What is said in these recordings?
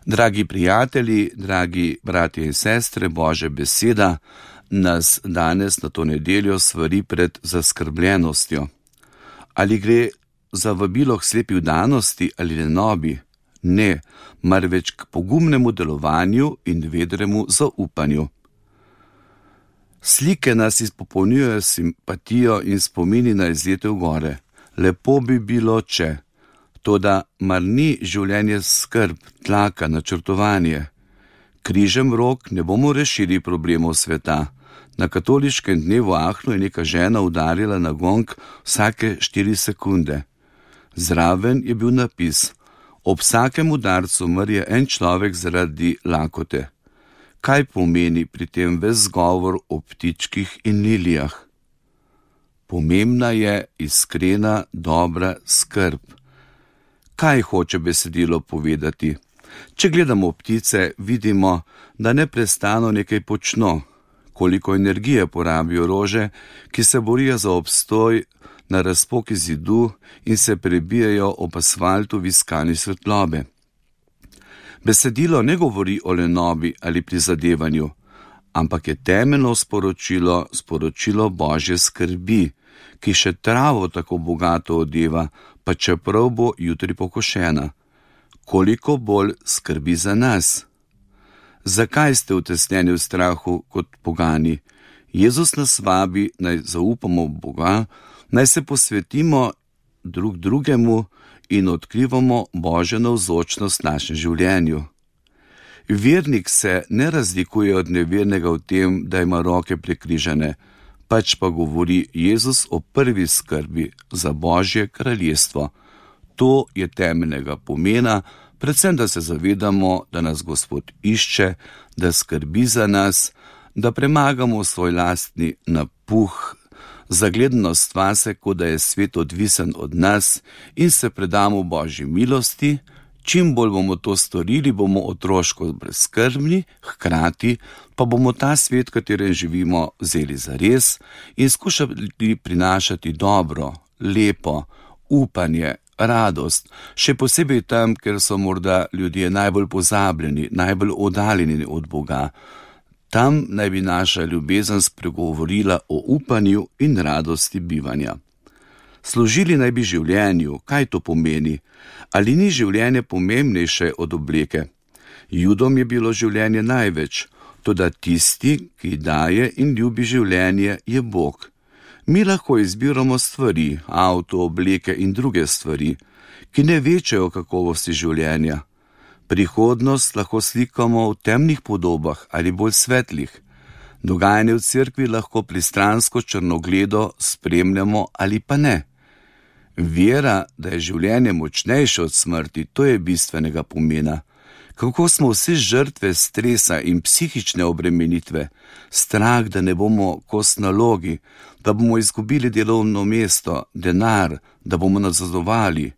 Dragi prijatelji, dragi bratje in sestre, Božja beseda nas danes na to nedeljo svari pred zaskrbljenostjo. Ali gre za vabilo k slepi vdanosti ali lenobi? Ne, marveč k pogumnemu delovanju in vedremu zaupanju. Slike nas izpopolnjujejo simpatijo in spomini na izlete v gore. Lepo bi bilo, če. Toda mar ni življenje skrb, tlaka, načrtovanje? Križem rok ne bomo rešili problemov sveta. Na katoliškem dnevu Ahnu je neka žena udarila na gong vsake 4 sekunde. Zraven je bil napis: ob vsakem udarcu umrje en človek zaradi lakote. Kaj pomeni pri tem ves govor o ptičkih in lilijah? Pomembna je iskrena, dobra skrb. Kaj hoče besedilo povedati? Če gledamo ptice, vidimo, da neprestano nekaj počno. Koliko energije porabijo rože, ki se borijo za obstoj na razpoki zidu in se prebijajo ob asfaltu v iskanju svetlobe. Besedilo ne govori o lenobi ali prizadevanju, ampak je temeljno sporočilo Božje skrbi, ki še travo tako bogato odeva, pa čeprav bo jutri pokošena. Koliko bolj skrbi za nas? Zakaj ste utesnjeni v strahu kot pogani? Jezus nas vabi, naj zaupamo v Boga, naj se posvetimo drug drugemu in odkrivamo Božjo navzočnost v našem življenju. Vernik se ne razlikuje od nevernega v tem, da ima roke prekrižane, pač pa govori Jezus o prvi skrbi za Božje kraljestvo. To je temeljnega pomena, predvsem da se zavedamo, da nas Gospod išče, da skrbi za nas, da premagamo svoj lastni napuh, zagledanost vase, kot da je svet odvisen od nas, in se predamo Božji milosti. Čim bolj bomo to storili, bomo otroško brezskrbni, hkrati pa bomo ta svet, v katerem živimo, vzeli zares in skušali prinašati dobro, lepo, upanje, radost, še posebej tam, ker so morda ljudje najbolj pozabljeni, najbolj oddaljeni od Boga. Tam naj bi naša ljubezen spregovorila o upanju in radosti bivanja. Služili naj bi življenju. Kaj to pomeni? Ali ni življenje pomembnejše od obleke? Judom je bilo življenje največ, toda tisti, ki daje in ljubi življenje, je Bog. Mi lahko izbiramo stvari, avto, obleke in druge stvari, ki ne večajo kakovosti življenja. Prihodnost lahko slikamo v temnih podobah ali bolj svetlih. Dogajanje v cerkvi lahko pristransko črnogledo spremljamo ali pa ne. Vera, da je življenje močnejše od smrti, to je bistvenega pomena. Kako smo vsi žrtve stresa in psihične obremenitve, strah, da ne bomo kos nalogi, da bomo izgubili delovno mesto, denar, da bomo nazadovali.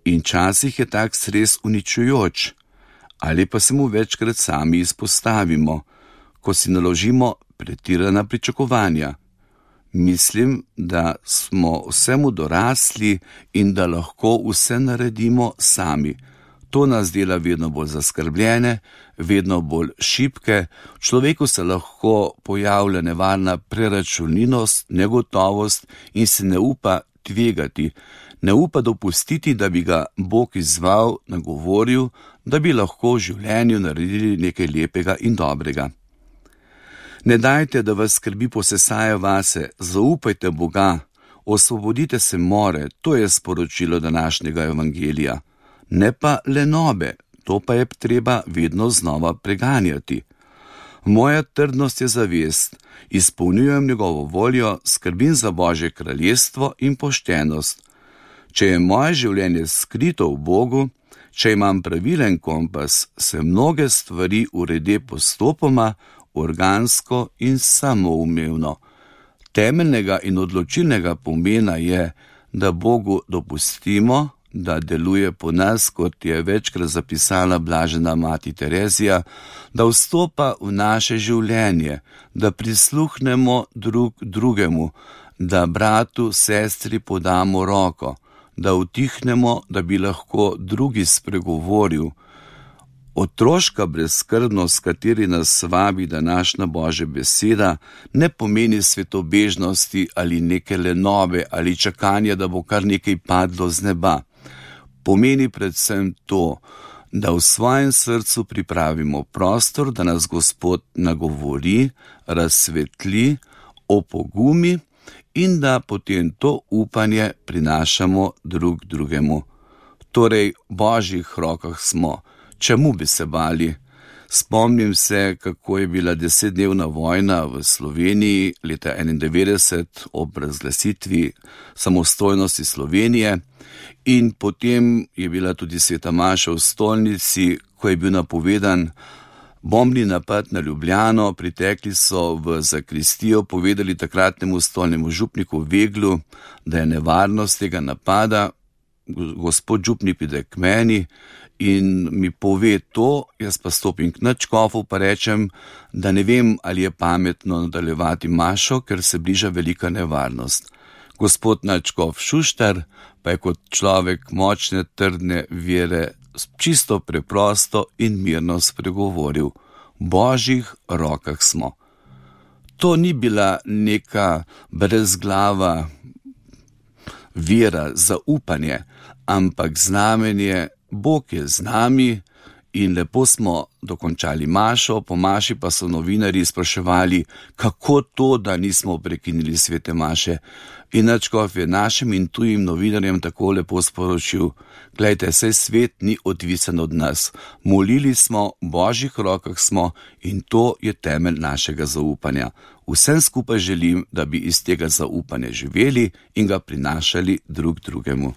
In časih je tak stres uničujoč, ali pa se mu večkrat sami izpostavimo, ko si naložimo pretirana pričakovanja. Mislim, da smo vsemu dorasli in da lahko vse naredimo sami. To nas dela vedno bolj zaskrbljene, vedno bolj šibke, v človeku se lahko pojavlja nevarna preračunljivost, negotovost in se ne upa tvegati, ne upa dopustiti, da bi ga Bog izzval, nagovoril, da bi lahko v življenju naredili nekaj lepega in dobrega. Ne dajte, da vas skrbi posesaja vase, zaupajte Boga, osvobodite se more, to je sporočilo današnjega evangelija. Ne pa lenobe, to pa je treba vedno znova preganjati. Moja trdnost je zavest, izpolnjujem njegovo voljo, skrbim za Božje kraljestvo in poštenost. Če je moje življenje skrito v Bogu, če imam pravilen kompas, se mnoge stvari urede postopoma, organsko in samoumevno. Temeljnega in odločilnega pomena je, da Bogu dopustimo, da deluje po nas, kot je večkrat zapisala blažena mati Terezija, da vstopa v naše življenje, da prisluhnemo drug drugemu, da bratu, sestri podamo roko, da utihnemo, da bi lahko drugi spregovoril. Otroška brezskrbnost, s kateri nas vabi današnja Božja beseda, ne pomeni svetobežnosti ali neke lenobe ali čakanja, da bo kar nekaj padlo z neba. Pomeni predvsem to, da v svojem srcu pripravimo prostor, da nas Gospod nagovori, razsvetli, opogumi in da potem to upanje prinašamo drug drugemu. Torej, v Božjih rokah smo. Čemu bi se bali? Spomnim se, kako je bila 10-dnevna vojna v Sloveniji leta 1991 ob razglasitvi samostojnosti Slovenije in potem je bila tudi sveta maša v stolnici, ko je bil napovedan bombni napad na Ljubljano. Pritekli so v zakristijo, povedali takratnemu stolnemu župniku Veglu, da je nevarnost tega napada. Gospod župnik pride k meni in mi pove to, jaz pa stopim k nadškofu pa rečem, da ne vem, ali je pametno nadaljevati mašo, ker se bliža velika nevarnost. Gospod nadškof Šuštar pa je kot človek močne, trdne vere čisto preprosto in mirno spregovoril: v Božjih rokah smo. To ni bila neka brezglava vera, zaupanje, ampak znamenje, Bog je z nami. In lepo smo dokončali mašo, po maši pa so novinarji spraševali, kako to, da nismo prekinili svete maše. In nadškof je našim in tujim novinarjem tako lepo sporočil: glejte, saj svet ni odvisen od nas. Molili smo, v Božjih rokah smo in to je temelj našega zaupanja. Vsem skupaj želim, da bi iz tega zaupanja živeli in ga prinašali drug drugemu.